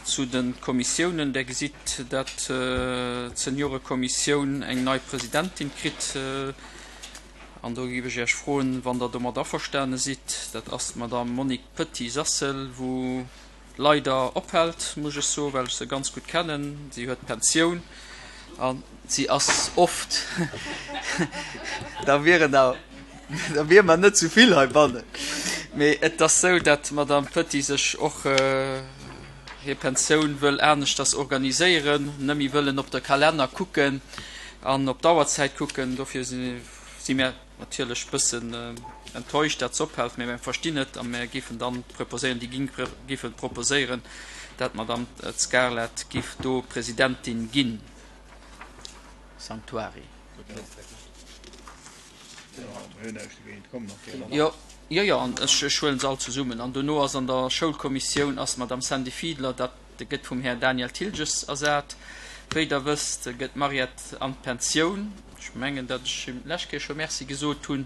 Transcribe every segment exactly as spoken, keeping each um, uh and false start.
zu de Kommissiounen. Der gesitt, dat d'Seniorekommissioun eng nei Presidentin kritt. An do géif ech Iech froen, wann Der domat averstane sidd. Dat ass d'Madame Monique Petit-Sassel, wou leider ophält, muss ech soen, well ech se ganz gutt kennen. Si huet Pensioun a si ass oft, da wieren der, da wiere mer net zu vill heibannen. Mee et ass sou, dat d'Madame Petit sech och hir Pensioun wëll aneschters organiséieren, net méi wëllen op de Kalenner kucken an op d'Auerzäit kucken. Dofir si mär natierlech bëssen enttäuscht, dat se ophält, mee mär verstinn et a mär géifen dann proposéieren, déi Gink géife proposéieren, dat d'Madame Scarlett giff do Presidentin ginn. Sanctuary. Jo, jo, jo, an ech, ech huelen se all zesummen. An dono ass an der Schoulkommissioun ass d'Madame Sandy Fiedler, dat gëtt vum Här Daniel Thilges ersat. Wéi Der wësst, gëtt d'Mariette an d'Pensioun. Ech mengen, datt ech him d'lescht Kéier scho Merci gesot hunn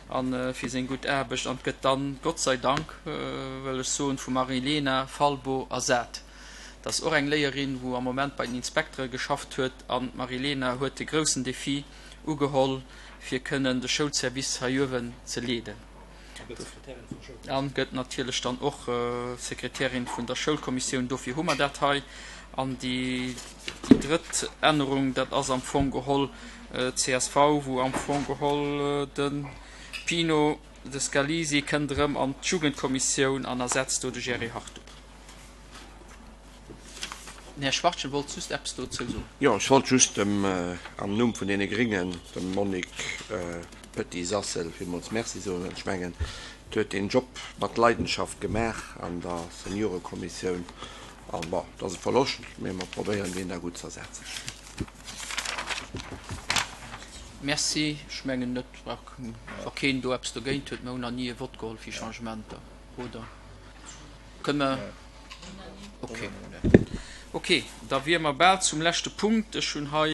a fir seng gutt Aarbecht. An gëtt dann, Gott sei Dank, wëll ech soen, vum Marilena Falbo ersat. Dat ass och eng Léierin, wou am Moment bei den Inspektere geschafft huet. An d'Marilena huet de groussen Defi ugeholl, fir kënnen de Schoulservice hei uewen ze leeden. An gëtt natierlech dann och Sekretärin vun der Schoulkommissioun. Dofir hu mer dat hei. An déi drëtt Ännerung, dat ass am Fong geholl csv, wou am Fong geholl de Pino de Scalisi kënnt erëm an d'Jugendkommissioun an ersetzt do de Jerry Hartung. Den Här Schwachtgen wollt just eppes dozou soen. Jo, ech wollt just dem, am Numm vun deene Gréngen, dem Monique Petit-Sassel villmools Merci soen. Ech mengen, et huet deen Job mat Leidenschaft gemaach an der Seniorekommissioun. An bon, et ass e Verloscht, mee mer probéieren, deen da gutt ze ersetzen. Merci. Ech mengen net, wa keen do eppes dogéint huet. Mer hunn nach ni e Vott geholl fir Changementer, oder? Kënne mer? Okay. Okay, da wiere mer bal zum leschte Punkt. Ech hunn hei.